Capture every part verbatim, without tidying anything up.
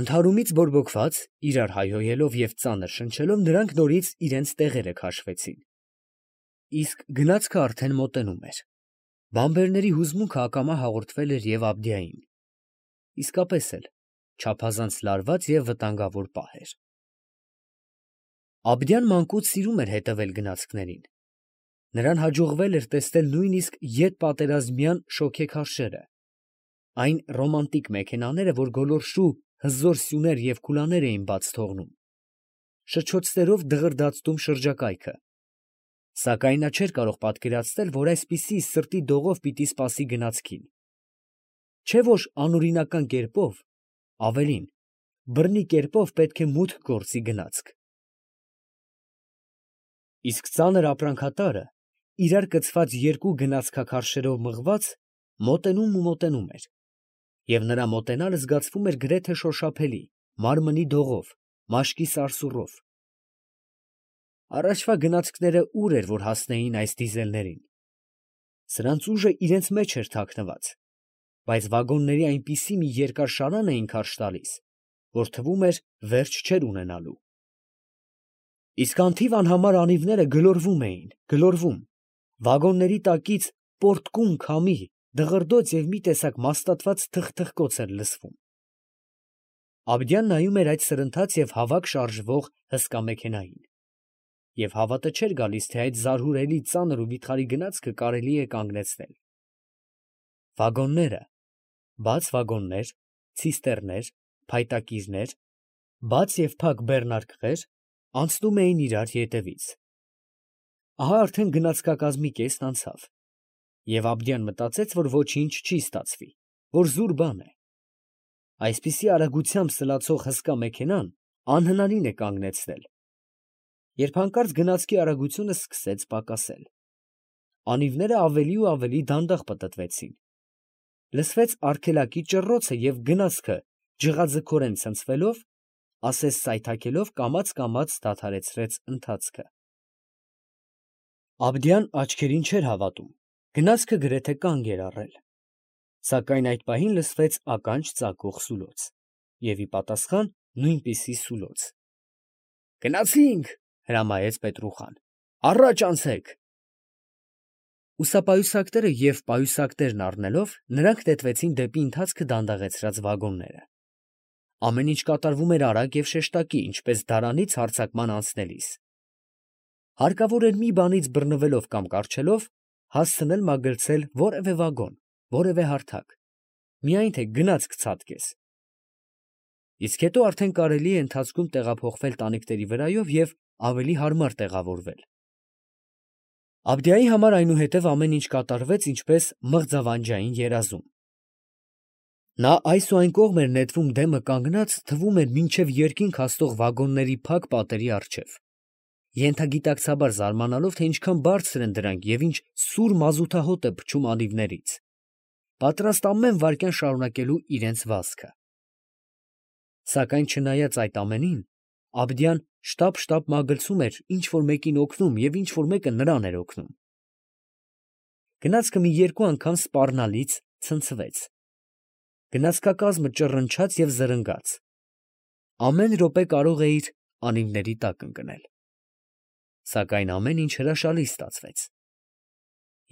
Ընդհարումից բորբոքված, իրար հայհոյելով և ծանր շնչելով, նրանք նորից իրանց տեղերը քաշվեցին. իսկ գնացքը արդեն մոտենում էր. բանբերների հուզմունքը ակամա հաղորդվել էր և Աբդիային. իսկապես էլ չափազանց լարված և վտանգավոր պահ էր։ Աբդյան մանկուց սիրում էր հետևել գնացքներին. նրան հաջողվել էր տեսնել նույնիսկ ետպատերազմյան շոգեքարշերը, այն ռոմանտիկ մեքենաները, որ գոլորշու հզոր սյուներ և քուլաներ էին բաց թողնում, շրչոցներով դղրդացնում շրջակայքը, սակայն նա չէր կարող պատկերացնել, որ այսպիսի սրտի դողով պիտի սպասի գնացքին, չէ՞ որ անօրինական կերպով, ավելին, բռնի կերպով պետք է մուտք գործի գնացք։ Իսկ ծանր ապրանքատարը, իրար կցված երկու գնացքաքարշերով մղված, մոտենում ու մոտենում էր, և նրա մոտենալը զգացվում էր գրեթե շոշափելի, մարմնի դողով, մաշկի սարսուռով։ Առաջվա գնացքները ուր էր, որ հասնեին այս դիզելներին. սրանց ուժը իրանց մեջ էր թաքնված, բայց վագոնների այնպիսի մի երկար շարան էին քարշ տալիս, որ թվում էր վերջ չէր ունենալու։ Իսկ անթիվ անհամար անիվները գլորվում էին, գլորվում, վագոնների տակից պոռթկում քամի, դղրդոց և մի տեսակ մաստատված թխթխկոց էր լսվում։ Աբդյան նայում էր այդ սրընթաց և հավակ շարժվող հսկա մեքենային, և հավատը չէր գալիս, թե այդ զարհուրելի ծանր ու վիթխարի գնացքը կարելի է կանգնեցնել։ Վագոնները, բաց վագոններ, ցիստեռներ, փայտակիրներ, բաց և փակ բեռնարկղեր անցնում էին իրար ետևից։ Ահա արդեն գնացքակազմի կեսն անցավ, և Աբդյան մտածեց, որ ոչինչ չի ստացվի, որ զուր բան է։ Այսպիսի արագությամբ սլացող հսկա մեքենան անհնարին է կանգնեցնել, երբ հանկարծ գնացքի արագությունը սկսեց պակասել։ Անիվները ավելի ու ավելի դանդաղ պտտվեցին։ Լսվեց արգելակի ճռռոցը և գնացքը ջղաձգորեն ցնցվելով, ասես սայթաքելով, կամաց֊կամաց դադարեցրեց ընթացքը։ Աբդյան աչքերին չէր հավատում, գնացքը գրեթե կանգ էր առել, սակայն այդ պահին լսվեց ականջ ծակող սուլոց, և ի պատասխան նույնպիսի սուլոց։ «Գնացի՛նք, ֊ հրամայեց Պետրուխան, ֊ առաջ անցեք»։ Ուսապայուսակները և պայուսակներն առնելով, նրանք նետվեցին դեպի ընթացքը դանդաղեցրած վագոնները։ Ամեն ինչ կատարվում էր արագ և շեշտակի, ինչպես դարանից հարձակման անցնելիս։ Հարկավոր էր մի բանից բռնվելով կամ կառչելով, հասցնել մագլցել որևէ վագոն, որևէ հարթակ, միայն թե գնացք ցատկես։ Իսկ հետո արդեն կարելի է ընթացքում տեղափոխվել տանիքների վրայով և ավելի հարմար տեղավորվել։ Աբդիայի համար այնուհետև ամեն ինչ կատարվեց ինչպես մղձավանջային երազում։ Նա այս ու այն կողմ էր նետվում դեմը կանգնած, թվում էր մինչև երկինք հասնող վագոնների փակ պատերի առջև, ենթագիտակցաբար զարմանալով, թե ինչքան բարձր են դրանք և ինչ սուր մազութահոտ է փչում անիվներից, պատրաստ ամեն վայրկյան շարունակելու իրենց վազքը։ Սակայն չնայած այդ ամենին, Աբդյան շտապ֊շտապ մագլցում էր ինչ֊որ մեկին օգնում և ինչ֊որ մեկը նրան էր օգնում։ Գնացքը մի երկու անգամ սպառնալից ցնցվեց։ Գնացքակազմը ճռնչաց և զրնգաց։ Ամեն րոպե կարող էիր անիվների տակ ընկնել։ Սակայն ամեն ինչ հրաշալի ստացվեց։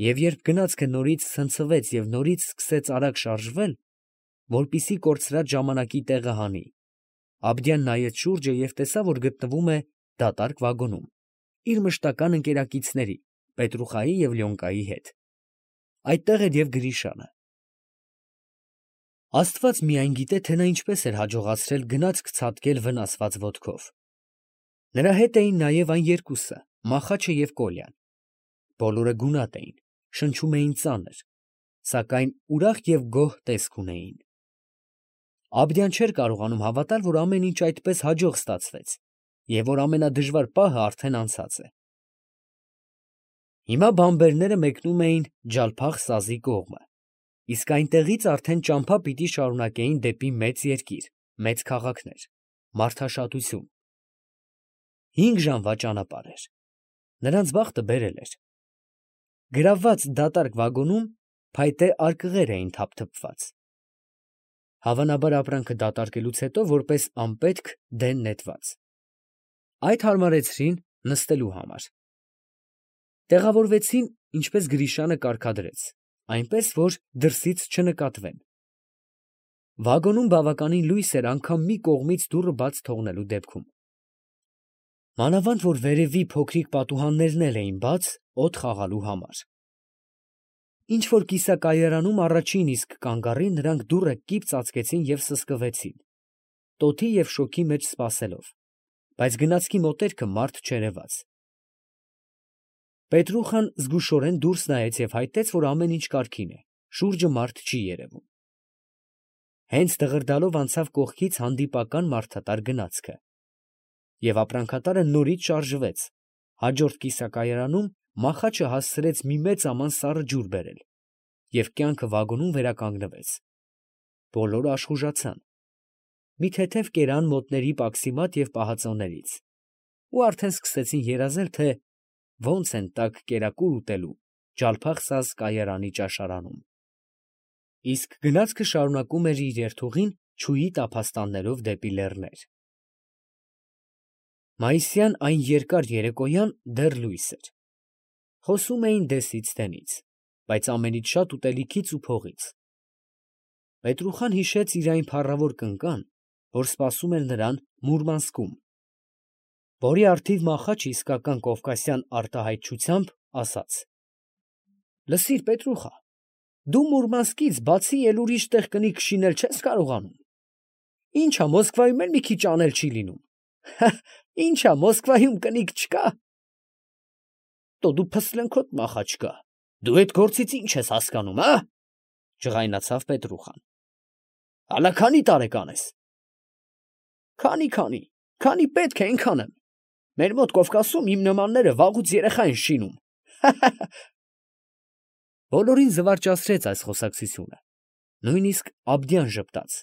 Եվ երբ գնացքը նորից ցնցվեց և նորից սկսեց արագ շարժվել, որպեսզի կորցրած ժամանակի տեղը հանի, Աբդյան նայեց շուրջը և տեսավ, որ գտնվում է դատարկ վագոնում, իր մշտական ընկերակիցների՝ Պետրուխայի և Լյոնկայի հետ։ Այդտեղ էր և Գրիշանը։ Աստված միայն գիտե, թե նա ինչպես էր հաջողացրել գնացք ցատկել վնասված ոտքով։ Նրա հետ էին նաև այն երկուսը՝ Մախաչը և Կոլյան։ Բոլորը գունատ էին, շնչում էին ծանր, սակայն ուրախ և գոհ տեսք ունեին։ Աբդյան չէր կարողանում հավատալ, որ ամեն ինչ այդպես հաջող ստացվեց, և որ ամենադժվար պահը արդեն անցած է։ Հիմա բանբերները մեկնում էին Ջալփախ սազի կողմը, իսկ այնտեղից արդեն ճամփա պիտի շարունակեին դեպի մեծ երկիր, մեծ քաղաքներ, մարդաշատություն։ Հինգ ժամվա ճանապարհ էր։ Նրանց բախտը բերել էր։ Գրավված դատարկ վագոնում փայտե արկղեր էին թափթփված։ Հավանաբար ապրանքը դատարկելուց հետո որպես անպետք դեն նետված։ Այդ հարմարեցրին նստելու համար։ Տեղավորվեցին, ինչպես Գրիշյանը կարգադրեց, այնպես, որ դրսից չնկատվեն։ Վագոնում բավականին լույս էր անգամ մի կողմից դուռը բաց թողնելու դեպքում։ Մանավանդ, որ վերևի փոքրիկ պատուհաններն էլ էին բաց, օդ խաղալու համար։ Ինչ որ կիսակայարանում առաջին իսկ կանգ առին, նրանք դուռը կիպ ծածկեցին և սսկվեցին, տոթի և շոգի մեջ սպասելով, բայց գնացքի մոտերքը մարդ չերևաց։ Պետրուխան զգուշորեն դուրս նայեց և հայտնեց, որ ամեն ինչ կարգին է, շուրջը մարդ չի երևում։ Հենց դղրդալով անցավ կողքից հանդիպական մարդատար գնացքը, և ապրանքատարը նորից շարժվեց, հաջորդ կիսակայարանում մախաչը հասցրեց մի մեծ աման սառը ջուր բերել, և կյանքը վագոնում վերականգնվեց։ Բոլորը աշխուժացան, մի թեթև կերան մոտների պաքսիմատ և պահածոներից, ու արդեն սկսեցին երազել, թե ոնց են տաք կերակուր ուտելու ջալփախսազ կայարանի ճաշարանում։ Իսկ գնացքը շարունակում էր իր երթուղին չուի տափաստաններով դեպի լեռներ։ Մայիսյան այն երկար երեկոյան դեռ լույս էր։ Խոսում էին դեսից դենից, բայց ամենից շատ ուտելիքից ու փողից։ Պետրուխան հիշեց իր այն փառավոր կնկան, որ սպասում էր նրան Մուրմանսկում, որի առթիվ մախաչը իսկական կովկասյան արտահայտչությամբ ասաց. «Լսիր, Պետրուխա, դու Մուրմանսկից բացի էլ ուրիշ տեղ կնիկ շինել չես կարողանում։ Ինչ ա, Մոսկվայում էլ մի քիչ անել չի լինում։ Ինչ ա, Մոսկվայում կնիկ չկա։ Տո դու փսլենքոտ մախաչ կա, դու էդ գործից ինչ ես հասկանում, ա» ջղայնացավ Պետրուխան։ «Հալա քանի տարեկան ես»։ Քանի, քանի պետք է այնքան եմ։ Մեր մոտ Կովկասում իմ նմանները վաղուց երեխա են շինում։ Բոլորին զվարճացրեց այս խոսակցությունը, նույնիսկ Աբդյան ժպտաց,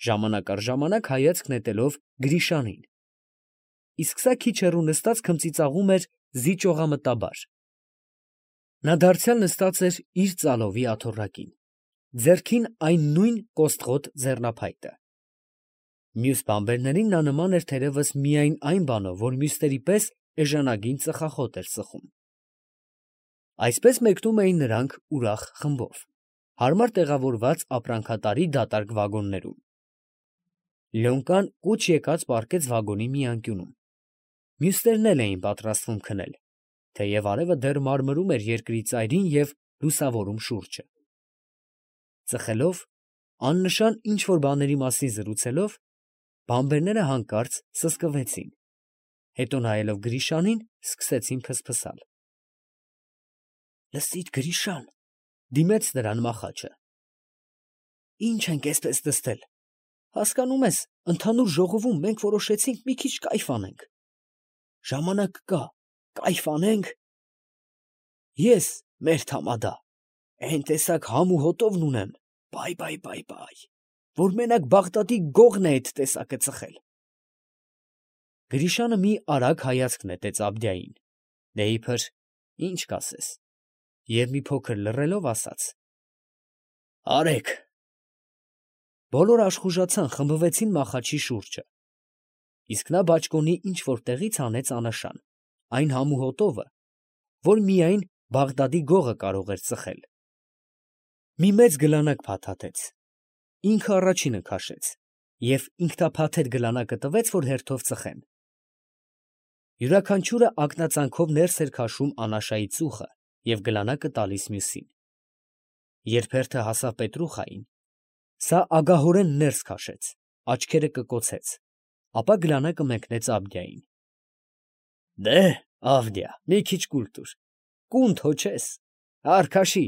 ժամանակ առ ժամանակ հայացք նետելով Գրիշանին, իսկ սա քիչ հեռու նստած քմծիծաղում էր զիջողամտաբար։ Նա դարձյալ նստած էր իր ծալովի աթոռակին, ձեռքին այն նույն կոստղոտ ձեռնափայտը։ Մյուս բանբերներին նա նման էր թերևս միայն այն բանով, որ մյուսների պես էժանագին ծխախոտ էր ծխում։ Այսպես մեկնում էին նրանք ուրախ խմբով, հարմար տեղավորված ապրանքատարի դատարկ վագոններում։ Լյոնկան կուչ եկած պառկեց վագոնի մի անկյունում։ Մյուսներն էլ էին պատրաստվում քնել, թեև արևը դեռ մարմրում էր երկրի ծայրին և լուսավորում շուրջը։ Ծխելով, աննշան ինչ֊որ բաների մասին զրուցելով, բանբերները հանկարծ սսկվեցին, հետո նայելով Գրիշանին, սկսեցին փսփսալ։ «Լսիր, Գրիշան, ֊ դիմեց նրան մախաչը, ֊ ի՞նչ ենք էսպես նստել, հասկանում ես, ընդհանուր ժողովում մենք որոշեցինք մի քիչ կայֆ անենք, ժամանակ կա, կայֆ անենք, ես, մեր թամադա, էն տեսակ համ ու հոտովն ունեմ, բայ, բայ, բայ, բայ, որ մենակ Բաղդադի գողն է էդ տեսակը ծխել»։ Գրիշանը մի արագ հայացք նետեց Աբդյային, դե իբր ինչ կասես, և մի փոքր լռելով ասաց. «Արեք»։ Բոլորը աշխուժացան, խմբվեցին մախաչի շուրջը, իսկ նա բաճկոնի ինչ֊որ տեղից հանեց աննշան, այն համու հոտովը, որ միայն Բաղդադի գողը կարող էր ծխել։ Մի մեծ գլանակ փաթաթեց, ինքը առաջինը քաշեց և ինքնափաթեթ գլանակը տվեց, որ հերթով ծխեն։ Յուրաքանչյուրը ակնածանքով ներս էր քաշում անաշայի ծուխը և գլանակը տալիս մյուսին։ Երբ հերթը հասավ Պետրուխային, սա ագահորեն ներս քաշեց, աչքերը կկոցեց, ապա գլանակը մեկնեց Աբդյային։ «Դե, Ավդիա, մի քիչ կուլ տուր, կունդ հո չես, առ քաշի»։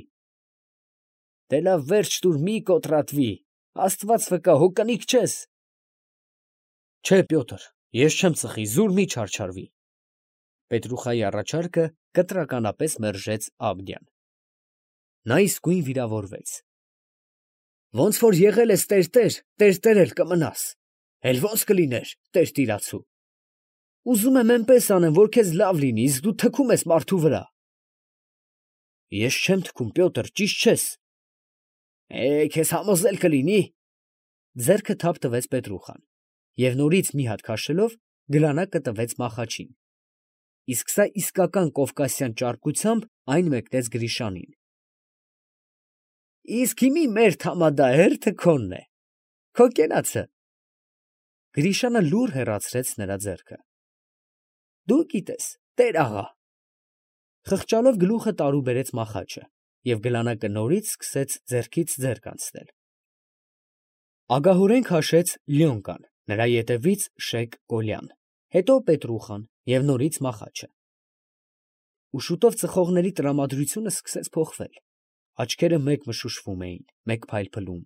«Դե լավ, վերջ տուր, մի կոտրատվի, աստված վկա, հո կնիկ չես»։ «Չէ, Պյոտր, ես չեմ ծխի, զուր մի չարչարվի»։ Պետրուխայի առաջարկը կտրականապես մերժեց Աբդյան։ Նա իսկույն վիրավորվեց։ «Ոնց որ եղել ես տերտեր, տերտեր էլ կմնաս, էլ ո՞նց կլիներ տերտիրացու։ Ուզում եմ էնպես անեմ, որ քեզ լավ լինի, իսկ դու թքում ես մարդու վրա»։ «Ես չեմ թքում, Պյոտր, ճիշտ չես»։ «Է, քեզ համոզել կլինի»։ ձեռքը թափ տվեց Պետրուխան և նորից մի հատ քաշելով գլանակը տվեց Մախաչին, իսկ սա իսկական կովկասյան ճարպկությամբ այն մեկնեց Գրիշանին։ ֊ Իսկ հիմի մեր թամադահերթը քոնն է, քո կենացը։ Գրիշանը լուռ հեռացրեց նրա ձեռքը։ ֊ Դու գիտես, տեր֊աղա… Խղճալով գլուխը տարուբերեց Մախաչը և գլանակը նորից սկսեց ձեռքից ձեռք անցնել։ Ագահորեն քաշեց Լյոնկան, նրա ետևից Շեյխ Կոլյան, հետո Պետրուխան և նորից Մախաչը։ Ու շուտով ծխողների տրամադրությունը սկսեց փոխվել. աչքերը մեկ մշուշվում էին, մեկ փայլփլում,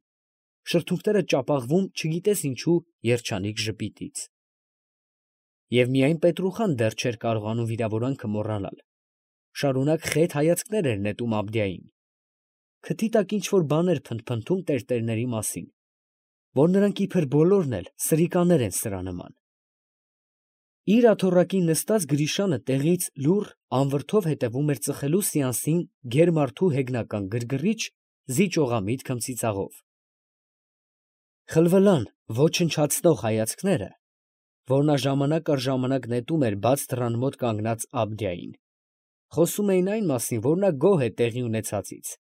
շրթունքները ճապաղվում չգիտես ինչու երջանիկ ժպիտից… Եվ միայն Պետրուխան դեռ չէր կարողանում վիրավորանքը մոռանալ, շարունակ խետ հայացքներ էր նետում Աբդիային, քթի տակ ինչ որ բաներ փնթփնթում տերտերների մասին, որ նրանք իբր բոլորն էլ սրիկաներ են սրա նման… Իր աթոռակին նստած Գրիշանը տեղից լուռ անվրդով հետևում էր ծխելու սեանսին գեր֊մարդու հեգնական գրգռիչ զիջողամիտ քմծիծաղով… Խլվլան ոչնչացնող հայացքները, որ նա ժամանակ առ ժամանակ նետում էր բաց դռան մոտ կանգնած Աբդիային, խոսում էին այն մասին, որ նա գոհ է տեղի ունեցածից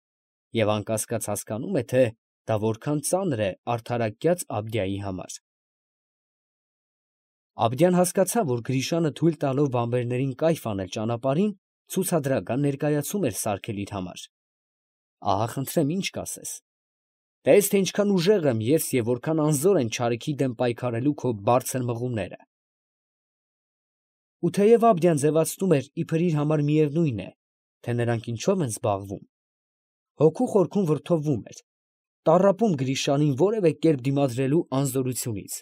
և անկասկած հասկանում է, թե դա որքան ծանր է արդարակյաց Աբդիայի համար… Աբդիան հասկացավ, որ Գրիշանը թույլ տալով բանվերներին կայֆ անել ճանապարհին, ցուցադրական ներկայացում էր սարքել իր համար… Ահա խնդրեմ, ի՞նչ կասես… Տես, թե ինչքան ուժեղ եմ ես և որքան անզոր են չարիքի դեմ պայքարելու քո բարձր մղումները… Ու թեև Աբդիան ձևացնում էր, իբր իր համար միևնույն է, թե նրանք ինչով են զբաղվում, հոգու խորքում վրդովվում էր, տառապում Գրիշանին որևէ կերպ դիմադրելու անզորությունից,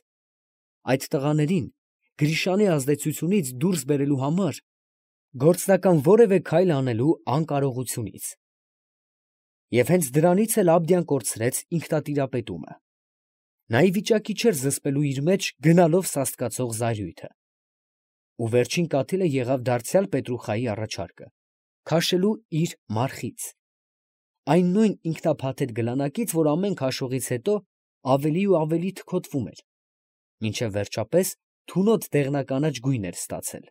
այդ տղաներին Գրիշանի ազդեցությունից դուրս բերելու համար գործնական որևէ քայլ անելու անկարողությունից… Եվ հենց դրանից էլ Աբդիան կորցրեց ինքնատիրապետումը… Նա ի վիճակի չէր զսպելու իր մեջ գնալով սաստկացող զայրույթը… Ու վերջին կաթիլը եղավ դարձյալ Պետրուխայի առաջարկը, քաշելու իր մարխից… այն նույն ինքնափաթեթ գլանակից, որ ամեն քաշողից հետո ավելի ու ավելի թքոթվում էր, մինչև վերջապես թունոտ դեղնականաչ գույն էր ստացել…